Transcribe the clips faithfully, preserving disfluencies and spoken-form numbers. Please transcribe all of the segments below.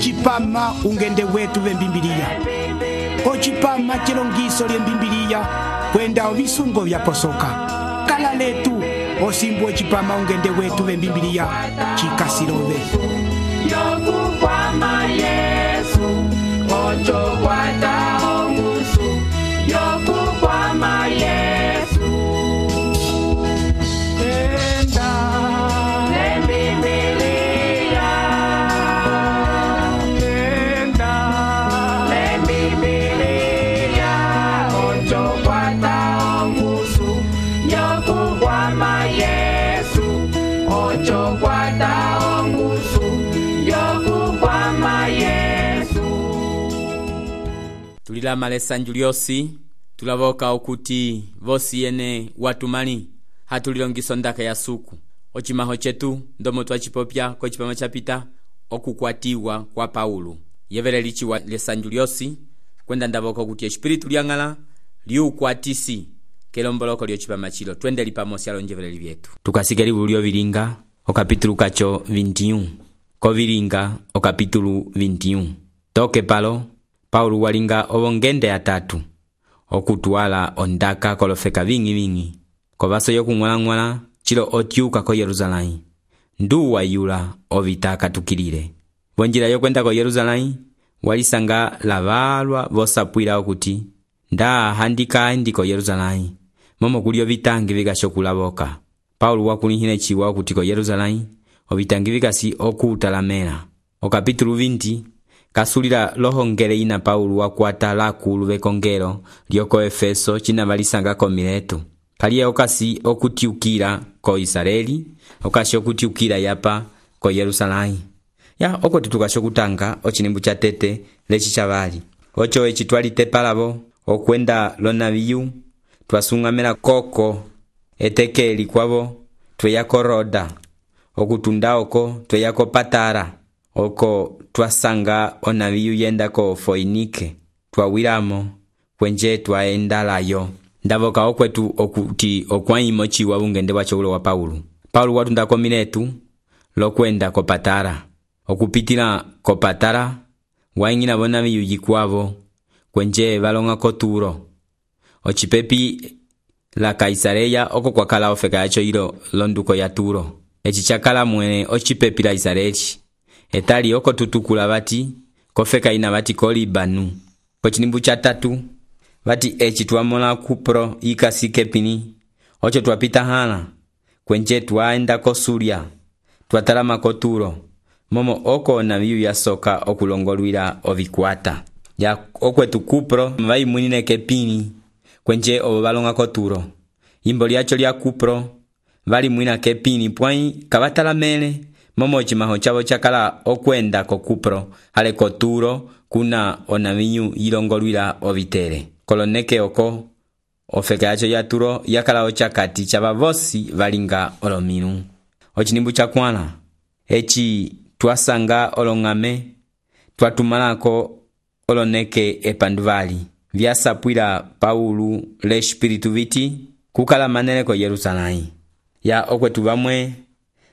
ocipama ungende wetu vembimbiliya, ocipama celongiso lyembimbiliya kwenda ovisungo vyaposoka. Kala letu osimbu ocipama ungende wetu vembimbiliya cikasirove yokukwama Yesu ocho kwata ongusu yokukwama Yesu enda lembibiliya enda lembibiliya ocho kwata ongusu yokukwama Yesu ocho kwata ongusu yokukwama Yesu. Tulilama lesanju lyosi tulavoka okuti vosi yene watumani hatulilongiso ndaka ya suku ocimaho cetu ndomo twacipopya ko cipama capita okukwatiwa kwa Paulo yevele lichiwa lesanju lyosi kwenda ndavoka okuti espiritu lyang'ala liukwatisi kelomboloko lyocipama chilo twende lipamosi alonjevele vyetu tukasikeli bulio vilinga okapitulu kacho vinte y uno ko vilinga okapitulu vinte y uno toke palo Paulo walinga ovongende atatu okutwala ondaka kolofeka vingi vingi ko vaso yokung'wala-ng'wala chilo otyuka ko Yerusalemu nduwa yula ovitaka tukilile vonjila yokwenda ko Yerusalemu walisanga lavalwa vosapwila okuti nda handika ndi ko Yerusalemu momo kulio vitangi vigashokulavoka. Paulo wakulihile chiwa okuti ko Yerusalemu ovitangi vikasi okutalamela okapitulu vinte kasulila lohongele ina Paulo wakwata lakulu vekongelo lyoko Efeso china valisanga ko Mileto kaliye okasi okutiukila ko Israeli okasi okutiukila yapa ko Yerusalemu ya oko tutukashokutanga ochinimbu cha tete lechi chavali ocho echitwalite palavo okwenda lonaviyu twasungamela koko etekeli kwavo tweyako Roda okutunda oko tweyako Patara oko twasanga onaviyu yenda ko Foinike twawilamo kwenje twaenda layo ndavoka okwetu okuti okwaimo chiwa ungende wachoulo wa Paulo. Paulo watunda ko Miletu lokwenda ko Patara okupitila ko Patara waingina bonaviyu yikwavo kwenje valonga ko Turo ocipepi la Kaisareya oko kwakala ofeka yacho ilo londuko ya Turo echi chakala mwene ocipepi la Israeli etali oko tutukula vati kofeka ina vati ko Libanu ko chinimbu cha tatu vati echi twamola Kupro ikasike pini ocho twapita hala kwenje twaenda ko Suria twatalama ko Turo momo oko naviyu yasoka okulongolwila ovikwata ya okwetu Kupro vai mwinine kepini kwenje ovo valonga ko Turo imbo lyacho lya Kupro vali mwina kepini pwai kavatalamele momo chimaho chavo chakala okwenda ko Kupro hale ko Turo kuna onaviyu yilongolwila ovitere koloneke oko ofeka yacho ya Turo yakala ochakati chava vosi valinga olominu ochinimbu chakwala echi twasanga olongame twatumalako oloneke epanduvali vyasapwila Paulo le espiritu viti kukala manele ko Yerusalemu ya okwetu vamwe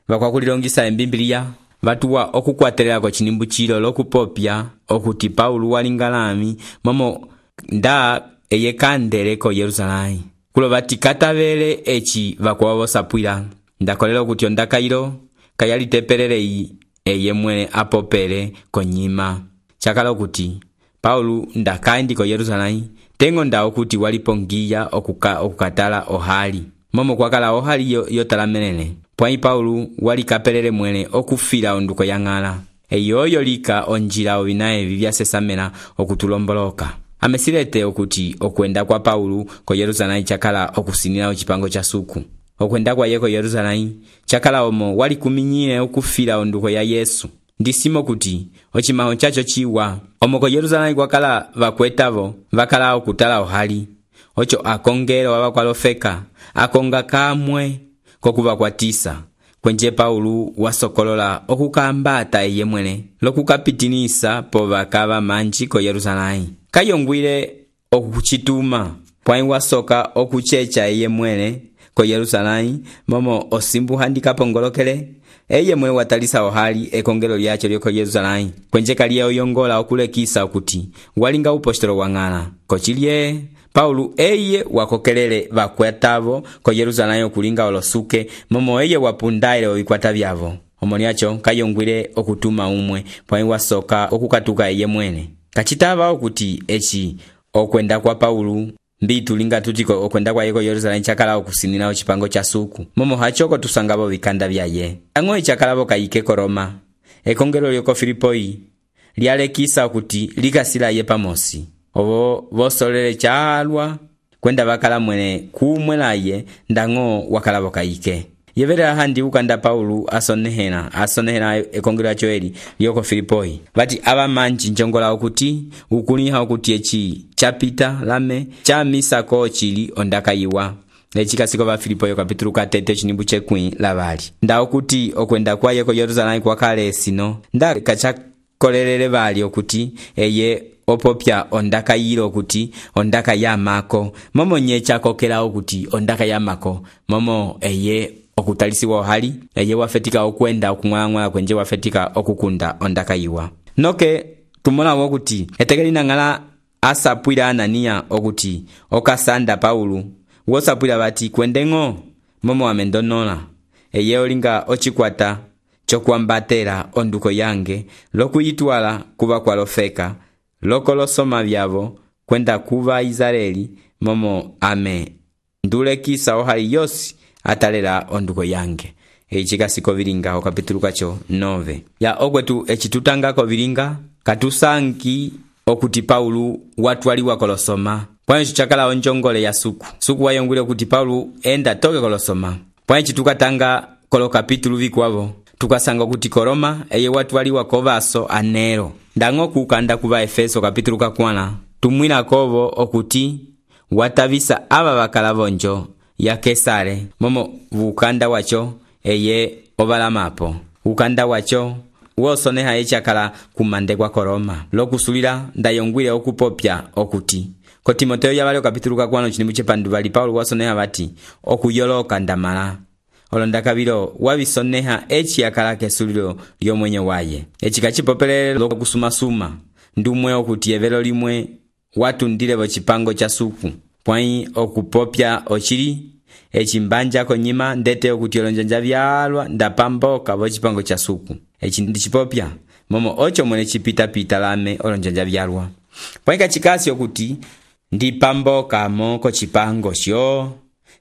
vakwakulilongisa embimbiliya vatuwa okukwatelela ko chinimbu chilo lokupopya okuti Paulo walingalami momo nda eyekandele ko Yerusalemu kulo vati katavele echi vakwawo sapwila ndakolela okuti ondaka ilo kayalitepelele eye mwene apopele konyima chakala okuti Paulo ndakaindi ko Yerusalemu tengo nda okuti walipongiya okuka okukatala ohali momo kwakala ohali yo, yo talamelele pwai Paulo walikapelele mwene okufila onduko yang'ala eyoyo lika onjila ovinaye vivyasesamela okutulomboloka amesilete okuti okwenda kwa Paulo ko Yerusalemu chakala okusinila ochipango cha suku okwenda kwa ye ko Yerusalemu chakala omo walikuminyile okufila onduko ya Yesu ndisimo kuti ochimaho chacho chiwa omo ko Yerusalemu kwakala vakwetavo vakala okutala ohali ocho akongelo wabakwalofeka akonga kamwe kokuvakwatisa kwenje Paulo wasokolola okukambata eye mwene lokukapitinisa po vakava manji ko Yerusalemu kayongwile okuchituma pwai wasoka okuchecha eye mwene ko Yerusalemu momo osimbu handika pongolokele eye mwe watalisa ohali ekongelo lyacho lyoko Yerusalemu kwenjeka liye oyongola okulekisa okuti walinga upostolo wang'ala kochilye Paulo eye wakokelele vakwatavo ko Yerusalemu kulinga olosuke momo eye wapundaile ovikwata vyavo omoniacho kayongwile okutuma umwe pwai wasoka okukatuka eye mwene kachitava okuti echi okwenda kwa Paulo mbitu linga tutiko okwenda kwa yeko Yerusalemu chakala okusinina ochipango cha suku momo hachoko tusangabo vikanda vyaye ang'o chakalabo kayike ko Roma ekongelo lyoko Filipoi lyalekisa okuti likasila ye pamosi obo bosolele chalwa kwenda bakala mwene kumwelaye ndang'o wakalabo kayike yevera handi ukanda Paulo asonehena asonehena ekongelo lyacho eli lyoko Filipoi bati aba manji njongola okuti ukuliha okuti echi chapita lame cha misa ko chili ondakayiwa echikasiko ba Filipoi kapitulu katete chinimbu chekwi labali nda okuti okwenda kwa yeko Yerusalemu kwa kale sino nda kacha kolelele bali okuti eye opopya ondaka yiro okuti ondaka yamako momo nyecha kokela okuti ondaka yamako momo eye okutalisiwa hali eye wafetika okwenda okumwangwa kwenje wafetika okukunda ondaka yiwa noke tumona okuti etekelina ngala asapwira Anania okuti okasanda Paulo wosapwira bati kwendengo momo amendonola eye olinga ochikwata chokwambatera onduko yange lokuyitwala kuba kwalofeka lokolosoma byavo kwenda kuba Israeli momo ame ndulekisa ohali yosi atalela onduko yange echikasiko vilinga okapitulu kacho nove ya okwetu echitutanga ko vilinga katusanki okuti Paulo watwaliwa kolosoma pwancho chakala onjongole ya suku suku wayongwile okuti Paulo enda toke kolosoma pwancho tukatanga kolo kapitulu vikwavo tukasanga kuti Koroma eye watwaliwa kovaso anero ndang'o kukanda kuva Efeso kapitulu kakwana tumwina kovo okuti watavisa aba bakalavonjo ya Kesare momo ukanda wacho eye obalamapo ukanda wacho wosoneha echakala kumande kwa Koroma lokusulira ndayongwile okupopya okuti ko Timoteo yabale kapitulu kakwana chinimu chepandu bali Paulo wasoneha bati okuyoloka ndamala olondakabilo wabisoneha echi yakala kesulilo lyomwenye waye echikachipopelele lokusumasuma ndumwe okuti evelo limwe watundile bochipango cha suku pwai okupopya ochili echimbanja konyima ndete okuti olonjanja byalwa ndapamboka bochipango cha suku echi ndichipopya momo ocho mwene chipita pita lame olonjanja byalwa pwai kachikasi okuti ndipamboka moko chipango sho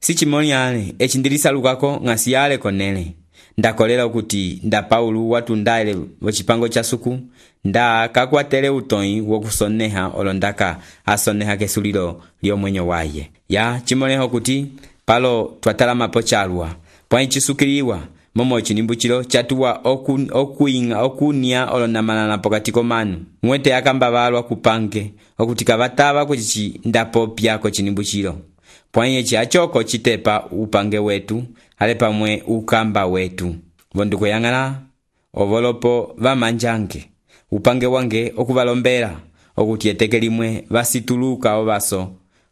sichimoniane echindilisa lukako ngasiale konele ndakolela okuti nda Paulo watundaile bochipango cha suku nda kakwatele utoi wokusoneha olondaka asoneha kesulilo lyomwenyo waye ya chimoneho okuti palo twatalama pochalwa pwai chisukiliwa momo chinimbuchilo chatuwa oku, okuinga okunia olondamanana pokati komanu mwete akamba balwa kupange okuti kabataba kuchichi ndapopya ko chinimbuchilo pwanye chiachoko chitepa upange wetu ale pamwe ukamba wetu vonduko yangala ovolopo vamanjange upange wange okuvalombera okuti eteke limwe vasituluka ovaso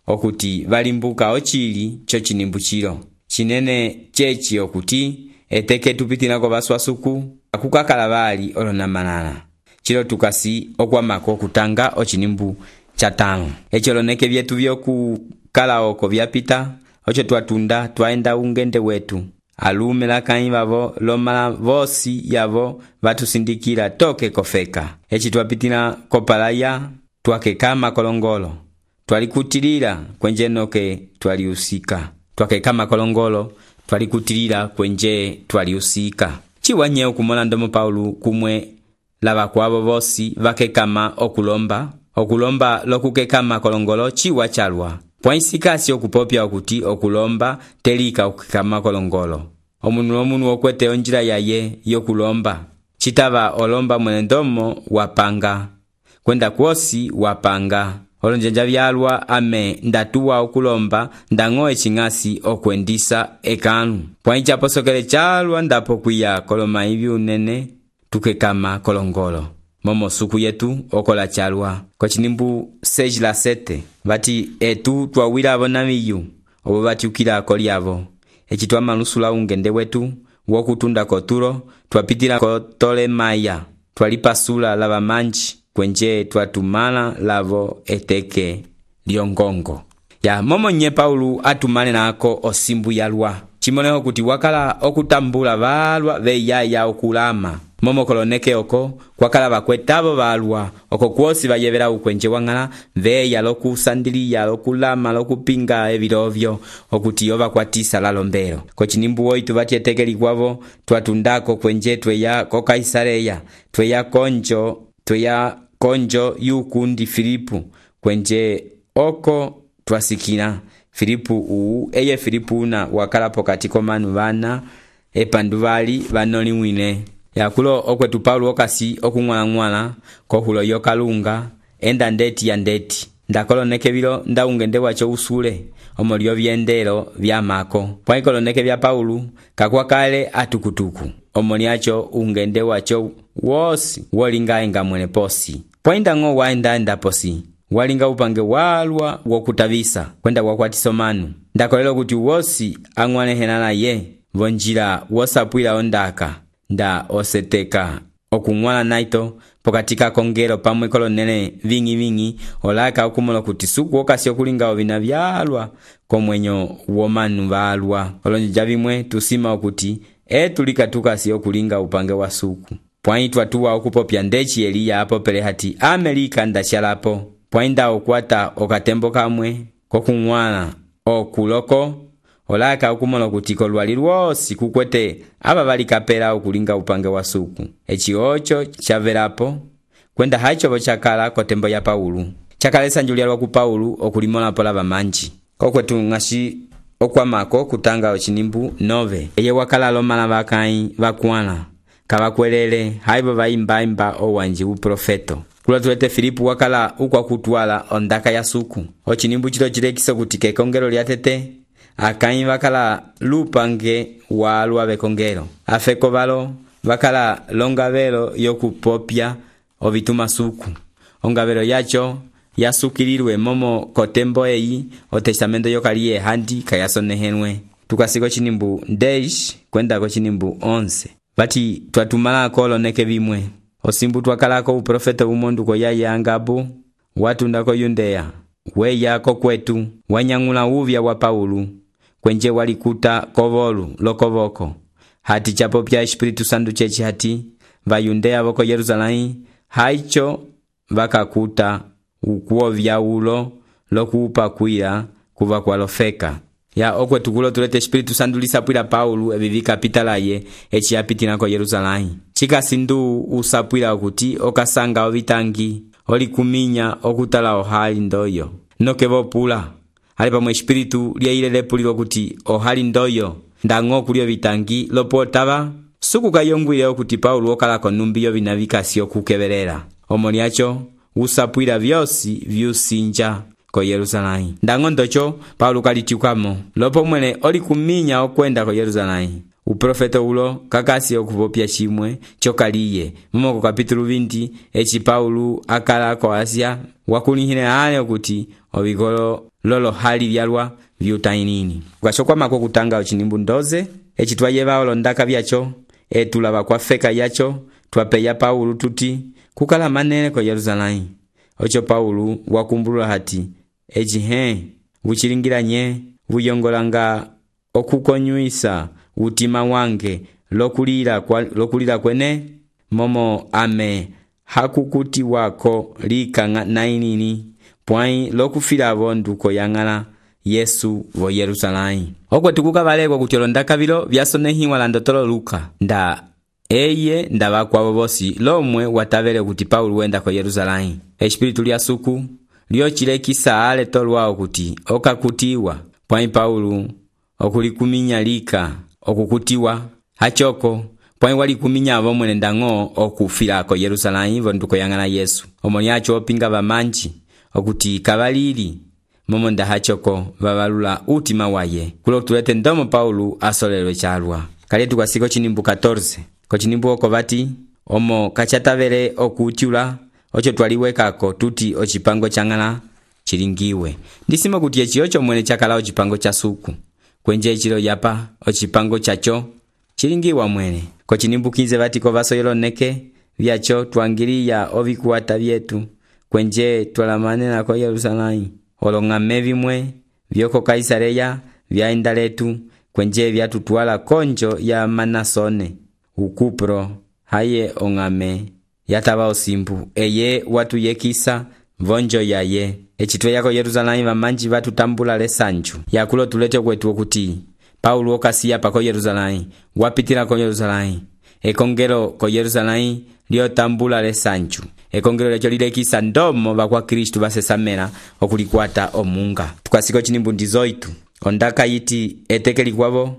okuti valimbuka ochili cho chinimbuchilo chinene chechi okuti eteke tupitinako baswasuku akukakala bali olonamanana chilo tukasi okwamako okutanga ochinimbu chatano echoloneke vyetu vyoku kala oko vyapita ocho twatunda twaenda ungende wetu alume lakai bavo lomala vosi yavo vatusindikira toke kofeka echi twapitina kopalaya twakekama kolongolo twalikutilira kwenje noke twaliusika twakekama kolongolo twalikutilira kwenje twaliusika chiwanye okumona ndomo Paulo kumwe lava kwabo vosi vakekama okulomba okulomba lokukekama kolongolo chiwa chalwa pwaisikasi okupopya okuti okulomba telika okukama kolongolo omunu omunu okwete onjira yaye yokulomba chitava olomba mwene ndomo wapanga kwenda kwosi wapanga olonjanja byalwa ame ndatuwa okulomba ndang'o eching'asi okwendisa ekanu pwaicha posokele chalwa ndapo kuya koloma ibi unene tukekama kolongolo momo suku yetu okola chalwa ko chinimbu seji la sete bati etu twawira abonamiyu obo batiukira kolyavo eci twamalusula ungende wetu wokutunda ko Turo, twapitila ko Tolemaya, twalipasula lava manji, kwenje twatumala lavo eteke lyongongo. Ya momo nye Paulu atumane nako osimbu yalwa. Chimoneho kuti wakala okutambula valwa veyaya okulama. Momo koloneke oko, kwakala bakwetabo balwa, oko kwosi bayebera ukwenje wangala, veya loku sandiliya, loku lama, loku pinga evirovyo, okuti yoba kwatisa lalombero. Kochinimbu oitu batieteke kwavo, twatundako kwenje tweya ko Kaisareya, tweya konjo, tweya konjo yukundi Filipu, kwenje oko twasikina. Filipu uu, eye Filipu na wakala pokati komanu vana, epanduvali vanoli mwine. Yakulo okwetu Paulo okasi okungwala ngwala kohulo yokalunga enda ndeti ya ndeti. Ndakoloneke bilo nda ungende wacho usule omolio vyendelo vya mako. Kwa ikoloneke vya Paulo kakwa kale atukutuku. Omoliacho ungende wacho wosi wolinga inga mwene posi. Poinda ngo waenda enda posi. Walinga upange walwa wokutavisa kwenda wakwatisomanu. Ndakolelo kuti wosi angwane henana ye vonjila wosapwila ondaka. Nda oseteka okungwala naito pokatika kongero pamwe kolonele vingi vingi olaka okumolo kuti suku okasi okulinga ovina vyalwa komwenyo womanu valwa. Olonja vimwe tusima okuti etulika tukasi okulinga upange wa suku. Pwaitwa tuwa okupopya ndechi Eliya apopele hati Amerika ndachalapo. Pwainda okwata okatembo kamwe kokungwala okuloko olaka okumolo kuti kolwali lwosi kukwete aba bali kapela okulinga upange wa suku. Echi ocho chaverapo kwenda hacho bochakala kotembo ya Paulu. Chakalesa njulialwa ku Paulu okulimola pola bamanji. Kokwetu ngashi okwamako kutanga ochinimbu nove. Eye wakala lomala bakai bakwala. Kabakwelele haibo baimba imba owanji uprofeto. Kula tulete Filipu wakala ukwa kutwala ondaka ya suku. Ochinimbu chilo chilekiso kutike kongero liatete. Akai bakala lupange walwa bekongero. Afeko balo bakala longavelo yokupopya ovituma suku. Ongavelo yacho yasukilirwe momo kotembo eyi o testamento yokalie handi kayasonehenwe. Tukasiko chinimbu deish kwenda ko chinimbu onze. Bati twatumala koloneke bimwe. Osimbu twakalako uprofeta umondu ko yaya angabu watunda ko Yudea. Weya ko kwetu wanyangula uvya wa Paulu. Kwenje walikuta kovolu lokovoko. Hati chapo pya Espiritu Santu chechi hati vayundea voko Yerusalai haicho vakakuta ukuo vya ulo lokuupa kuila kuva kwa lofeka. Ya okwe tukulo tulete Espiritu Santu lisapwila Paulu evivika pitalaye echi yapitina ko Yerusalai. Chika sindu usapwila okuti okasanga ovitangi olikuminya okutala ohali ndoyo. Nokevo pula. Halipa mwe Espiritu liya lepulilo kuti ohali ndoyo ndango kulio vitangi lopo taba suku kayongwile okuti Paulo okala konumbiyo vinavika sio kukebelela. Omoliacho usapwila vyosi vyusinja ko Yerusalai. Ndango ndocho Paulo kalitiukamo lopo mwene oli kuminya okwenda ko Yerusalai. Uprofeta ulo kakasi okuvopya chimwe chokaliye. Mumoko kapitulu vindi echi Paulo akala ko Asia wakulihine hale okuti obikolo lolo hali vyalwa vyutainini. Ukashokwa mako kutanga ochinimbu ndoze echi twayeva olondaka vyacho etulaba kwa feka yacho twapeya Paulo tuti kukala manene ko Yerusalai. Ocho Paulo wakumbulula hati echi he vuchilingiranye vuyongolanga okukonyuisa utima wange lokulira kwa lokulira kwene momo ame hakukuti wako lika nainini pwai lokufila bonduko yangala Yesu vo Yerusalai. Okwe tukuka baleko kutyolondaka bilo vyasonehiwa landotolo Luka. Nda eye ndaba kwa bobosi lomwe watavele kuti Paulo wenda ko Yerusalai. Espiritu lya suku lyo chilekisa ale tolwao kuti okakutiwa pwai Paulo okulikuminya lika okukutiwa hachoko pwai walikuminya bomwe ndango okufila ko Yerusalai vonduko yangala Yesu. Omoniacho opinga bamanji okuti kabalili momo ndahachoko babalula utima waye. Kulo tulete ndomo Paulo asolelwe chalwa. Kaletu kwa siko chinimbu catorce. Ko chinimbu oko bati omo kachatavele okutiula ocho twaliwekako tuti ochipango changala chilingiwe. Ndisimo kuti echi ocho mwene chakala ochipango cha suku. kwenje echilo yapa ocipango chacho chilingiwa mwene kocinimbukize vatiko vasoyeloneke vyacho twangiliya ovikuwata vyetu kwenje twalamane nako Yerusalemu olong'ame vimwe vyoko Kaisareya vyaenda letu kwenje vyatutwala konjo ya Manasone ukupro haye ong'ame yatava osimbu eye watu yekisa vonjo yaye echitwe yako Yerusalemu vamanji vatutambula lesanju yakulo tulete kwetu okuti Paulo okasiya pako Yerusalemu wapitila ko Yerusalemu ekongero ko Yerusalemu lyotambula lesanju ekongero lecho lilekisa ndomo bakwa Kristu basesamela okulikwata omunga tukasiko chinimbundi zoitu ondaka yiti etekeli kwabo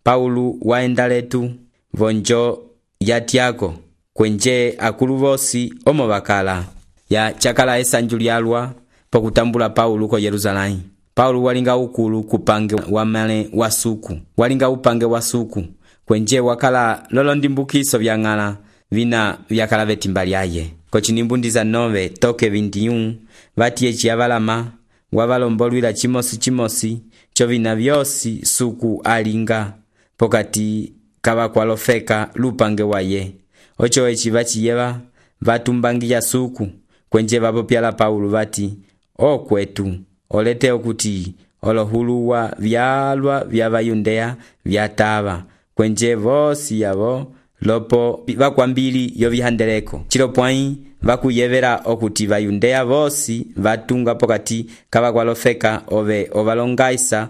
Paulo waenda letu vonjo yatyako kwenje akulu vosi omo bakala ya chakala esanju lyalwa pokutambula Paulo ko Yerusalemu. Paulo walinga ukulu kupange wamale wasuku walinga upange wasuku kwenje wakala lolondimbukiso vyang'ala vina vyakala vetimba lyaye kocinimbundi za nove toke veintiuno vatiye chiavalama wavalombolwila chimosi chimosi cho vina vyosi suku alinga pokati kavakwalofeka lupange waye ocho echi vachiyeva vatumbangiya suku kwenje vapopyala Paulo vati o kwetu olete okuti olohuluwa vyalwa vya Vayudea vyatava kwenje vosi yavo lopo vakwambili yovihandeleko chilopwai vakuyevera okuti Vayudea vosi vatunga pokati kavakwalofeka ove ovalongaisa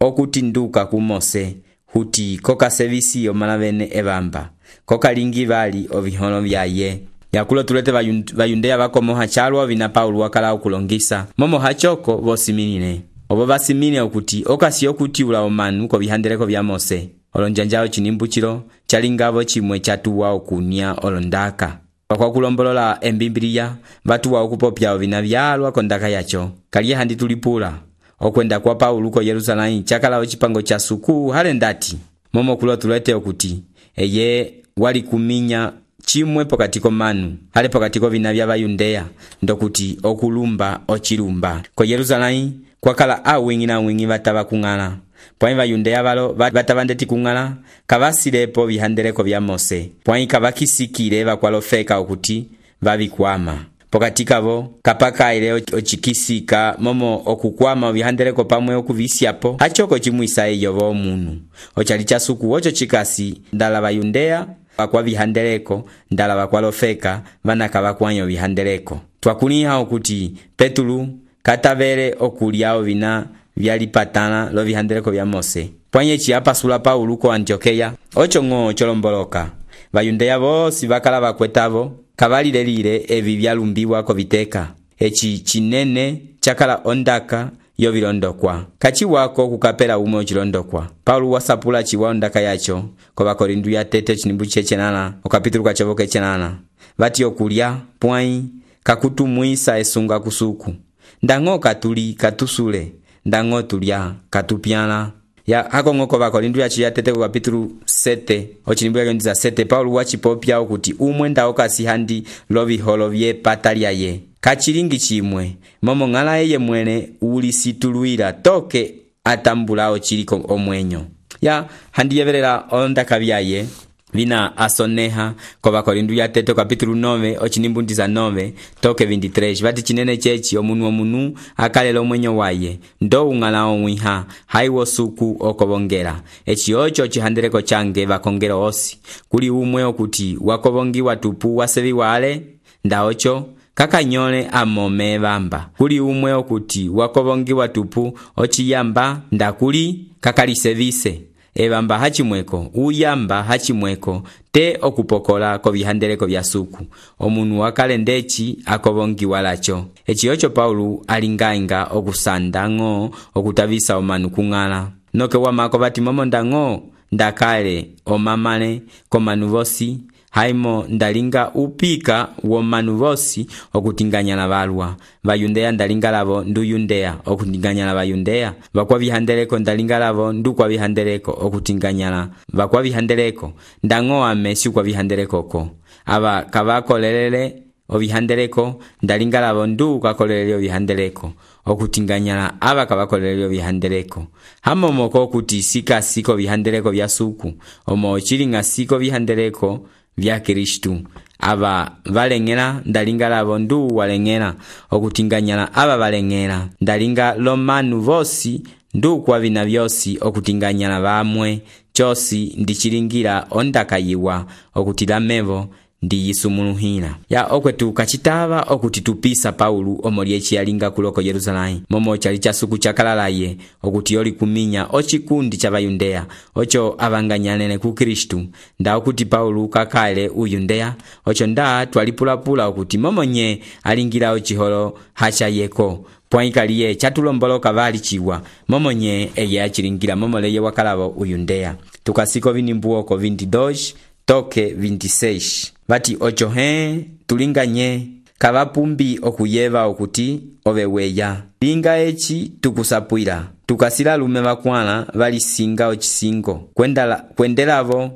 okuti nduka kumose huti koka sevisi yomalavene evamba koka lingi vali oviholo vyaye yakulo tulete Vayudea vakomoha chalwa vina Paulo wakala okulongisa momo hachoko vosiminine obo vasimine okuti okasi okuti ula omanu ko vihandeleko vya Mose olonjanjao chinimbuchilo chalingavo chimwe chatuwa okunia olondaka kwa kulombolola embimbiliya vatuwa okupopya ovina vyalwa kondaka yacho kaliye handi tulipula okwenda kwa Paulo ko Yerusalemu chakala ochipango cha suku hale ndati momo kulo tulete okuti eye wali kuminya chimwe pokatiko manu hale pokatiko vina vya Vayudea ndokuti okulumba ochilumba ko Yerusalemu kwakala awingi na wingi vatava kung'ala pwai Vayudea valo vatavandeti kung'ala kavasilepo vihandeleko vya Mose pwai kavakisikile vakwalofeka okuti vavikwama pokatikavo kapakaile ochikisika momo okukwama vihandeleko pamwe okuvisyapo achoko chimwisa eyo vomunu ochali cha suku ocho chikasi ndala Vayudea wakwa vihandeleko ndala wakwalofeka vana kavakwanyo vihandeleko twakuliha okuti Petulu katavele okuliao vina vyalipatana lo vihandeleko vya Mose pwanye chiapasula Paulo ko Antiokeya ocho ng'o cholomboloka Vayudea vosi vakala vakwetavo kavalilelile evi vyalumbiwa ko viteka echi chinene chakala ondaka yovilondokwa kachi wako kukapela umwe ochilondokwa Paulo wasapula chiwa ondaka yacho ko Bakorindu ya tete chinimbu chechenana okapitulu kachovoke chenana vati okulya pwai kakutumwisa esunga kusuku ndango katuli katusule ndango tulya katupyana ya hako ngoko Bakorindu ya chiya tete ko kapitulu sete ochinimbu ya ndiza sete Paulo wachipopya okuti umwe ndao kasi handi loviholo vye patalya ye kachilingi chimwe momo ng'ala eye mwene ulisituluira toke atambulao chiliko omwenyo ya handi yeverera ondaka vyaye vina asoneha kwa Bakorindu ya tete kapitulu nove ochinimbundi za nove toke veintitrés vati chinene chechi omunu omunu akalelo omwenyo waye ndo ung'ala omwiha haiwo suku okobongera echi ocho chihandeleko change bakongero osi kuli umwe okuti wakobongiwa tupu wasevi wale ndaocho kakanyole amome bamba kuli umwe okuti wakobongiwa tupu ochiyamba ndakuli kakalisevise ebamba hachimweko uyamba hachimweko te okupokola ko bihandeleko bya suku omunu wakale ndechi akobongiwa lacho echi ocho Paulo alingainga okusandango okutavisa omanu kung'ala noke wamako bati momo ndango ndakale omamale komanu vosi haimo ndalinga upika womanu vosi okutinganyana balwa Vayudea ndalinga lavo ndu Yudea okutinganyana Vayudea bakwa bihandeleko ndalinga lavo ndu kwa bihandeleko okutinganyana bakwa bihandeleko ndango amesi kwa bihandeleko ko aba kabakolelele ovihandeleko ndalinga lavo ndu kakolelele ovihandeleko okutinganyala ava kavakolelele ovihandeleko hamomoko okuti sika siko vihandeleko vya suku omo chilinga siko vihandeleko vya Kristu ava valengela ndalinga lavo ndu walengela okutinganyala ava valengela ndalinga lomanu vosi ndu kwa vina vyosi okutinganyala vamwe chosi ndichilingira ondakayiwa okutila mevo ndiyisumuluhila ya okwetu kachitava okuti tupisa Paulu omolyechi yalinga kuloko Yerusalemu momo chali chasuku chakalalaye okuti yoli kuminya ochikundi cha Bayundeya ocho avanganyalene ku Kristu nda okuti Paulu kakale uyundeya ocho nda twalipulapula okuti momonye alingira ochiholo hacha yeko pwaikaliye chatulomboloka vali chiwa momonye eye achilingira momoleye wakalavo uyundeya tukasiko vinimbuoko vinti-dois toke vinti-seis vati ocho he tulinganye kavapumbi okuyeva okuti oveweya linga echi tukusapwila tukasila lume vakwala valisinga ochisingo kwendala kwendelavo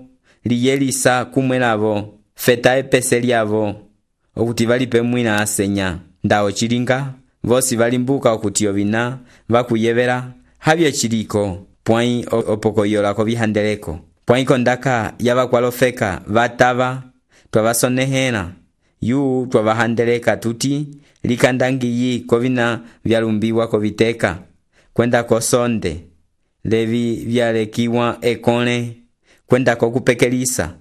liyelisa kumwelavo feta epese lyavo okuti valipe mwina asenya nda ochilinga vosi valimbuka okuti ovina vakuyevela havye chiliko pwai opokoyola kovihandeleko pwai kondaka yavakwalofeka vatava twavasonehela yu twavahandeleka tuti likandangiyi kovina vyalumbiwa koviteka kwenda kosonde levi vyalekiwa ekole kwenda kokupekelisa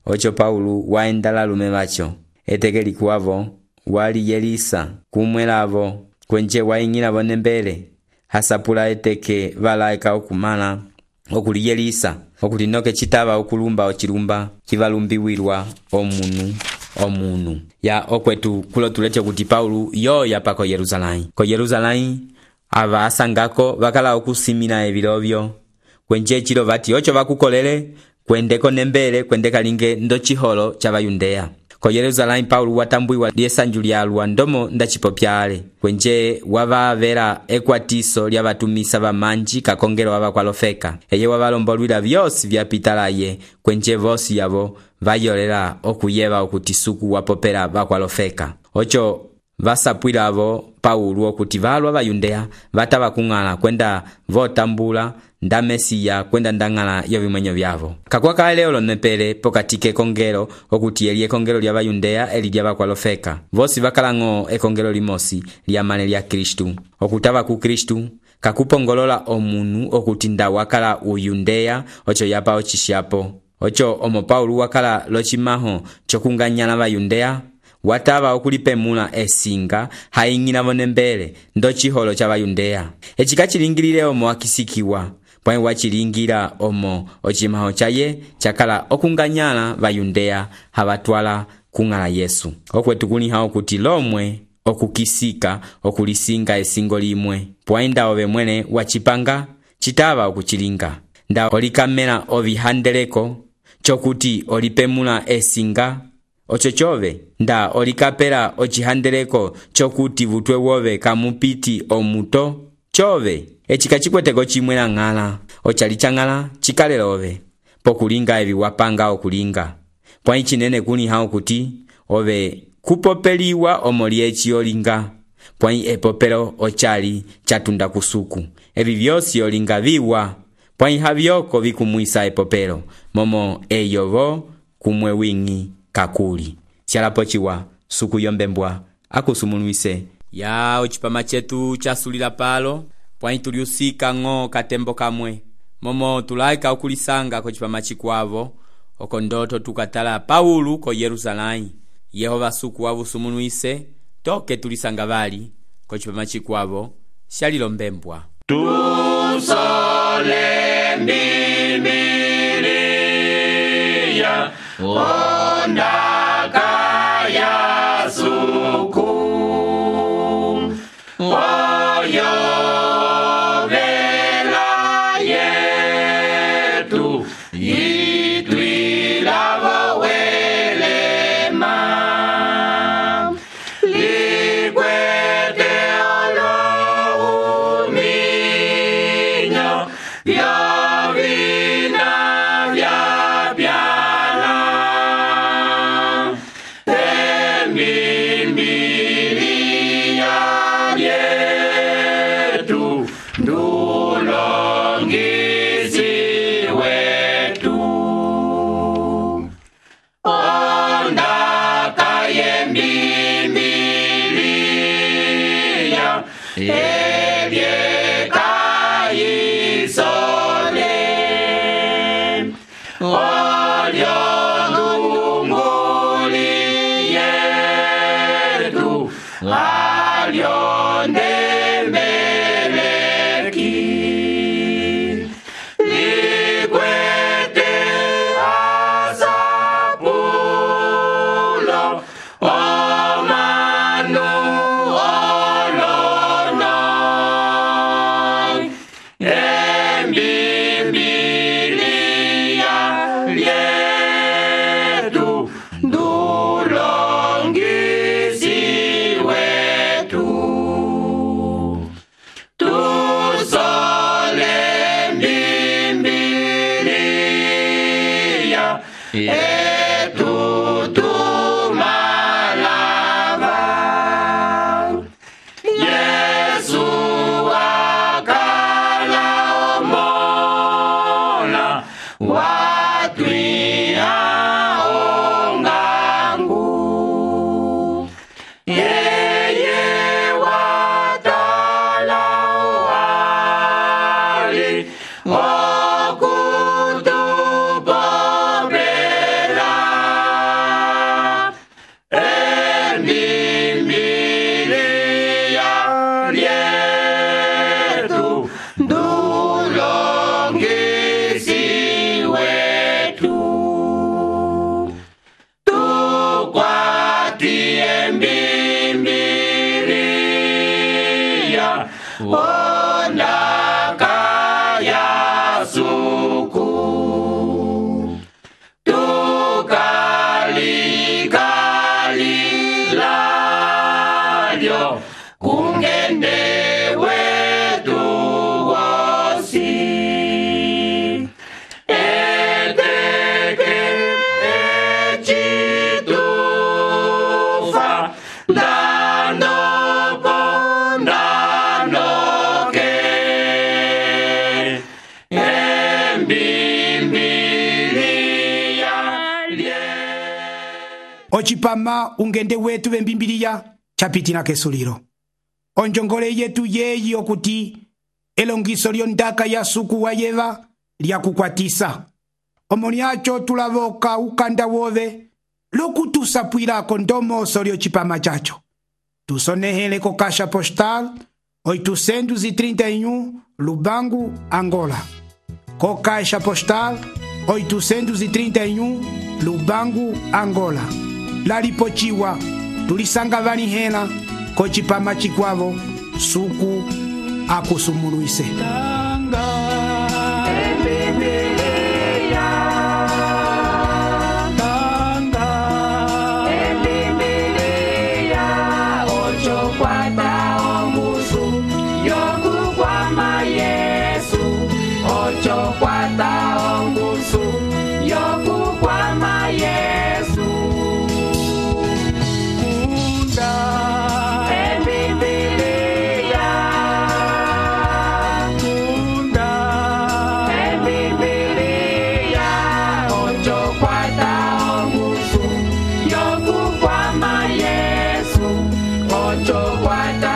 ocho Paulu waendala lume vacho etekelikuwavo waliyelisa kumwelavo kwenje waing'ilavo nembele hasapula eteke valaeka okumala okuliyelisa okulinoke chitava okulumba ochilumba kivalumbiwilwa omunu omunu ya okwetu kulo tuleche kuti Paulu yo yapa ko Yerusalemu ko Yerusalemu ava asangako vakala okusimina evilovyo kwenje chilo vati ocho vakukolele kwendeko nembele kwendeka linge ndo chiholo cha Bayundeya ko Yerusalemu Paulu watambuiwa liesanju lyalwa ndomo ndachipopyale kwenje wavavera ekwatiso lyavatumisa vamanji kakongelo wavakwalofeka eye wavalombolwila vyosi vyapitalaye kwenje vosi yavo vayolela okuyeva okuti suku wapopela vakwalofeka ocho vasapwilavo Paulu okuti valwa Bayundeya vatava kung'ala kwenda votambula nda Mesiya kwenda ndang'ala yovimwenyo vyavo kakwa kale olonepele pokati ekongelo okuti eli ekongelo lya Bayundeya eli lya vakwalofeka vosi vakalang'o ekongelo limosi lyamale lya Kristu okutava ku Kristu kakupongolola omunu okuti nda wakala uyundeya ocho yapa ochishapo ocho omo Paulu wakala lochimaho chokunganyala Bayundeya watava okulipemula esinga haing'ilavo nembele ndo chiholo cha Bayundeya echika chilingilile omo akisikiwa pwai wachilingira omo ochimaho chaye chakala okunganyala Bayundeya havatwala kung'ala Yesu okwetu kuliha okuti lomwe okukisika okulisinga esingo limwe pwai nda ove mwene wachipanga chitava okuchilinga nda olikamela ovihandeleko chokuti olipemula esinga ocho chove nda olikapela ochihandeleko chokuti vutwe wove kamupiti omuto chove echika chikweteko chimwe na ng'ala ochali chang'ala chikalelove pokulinga evi wapanga okulinga pwai chinene kuliha okuti ove kupopeliwa omolyechi olinga pwai epopelo ochali chatunda kusuku evi vyosi olinga viwa pwai havyoko vikumwisa epopelo momo eyovo kumwe wing'i kakuli chalapo chiwa suku yombembwa akusumulwise ya ochipama chetu chasulila palo pwai tuliusika ng'o katembo kamwe momo tulaika okulisanga ko chipama chikwavo oko ndoto tukatala Paulu ko Yerusalemu Yehova suku wavusumulwise toke tulisanga vali ko chipama chikwavo shalilo mbembwa tusole Bibilia ondaka ya suku oyo vela yetu itwilavo welema likwete olo uminyo vyovina vyapyala emi etutumalava. Yesu wakala omola watwia ongangu. Yeye watala wali okutupopela. Emimbilia lyetu ndulongisi wetu. Tukwatie mbimbilia ondaka ya suku. Tukalikalilyo kungende wetu wosi. Eteke echitufa ndanopo ndanoke. Embimbilia lye. ocipama ungende wetu vembimbiliya capitina kesulilo. Onjongole yetu yeyi okuti elongiso lyondaka ya suku wa yeva lyakukwatisa. Omoni aco tulavoka ukanda wove lokutusapwilako ndomoso lyocipama caco. Tusonehele ko caixa postal oitocentos e trinta e um Lubango, Angola. Co caixa postal oitocentos e trinta e um Lubango, Angola. Lalipochiwa tulisanga vanihela ko cipama cikwavo suku akusumuluise. Ocho, cuatro.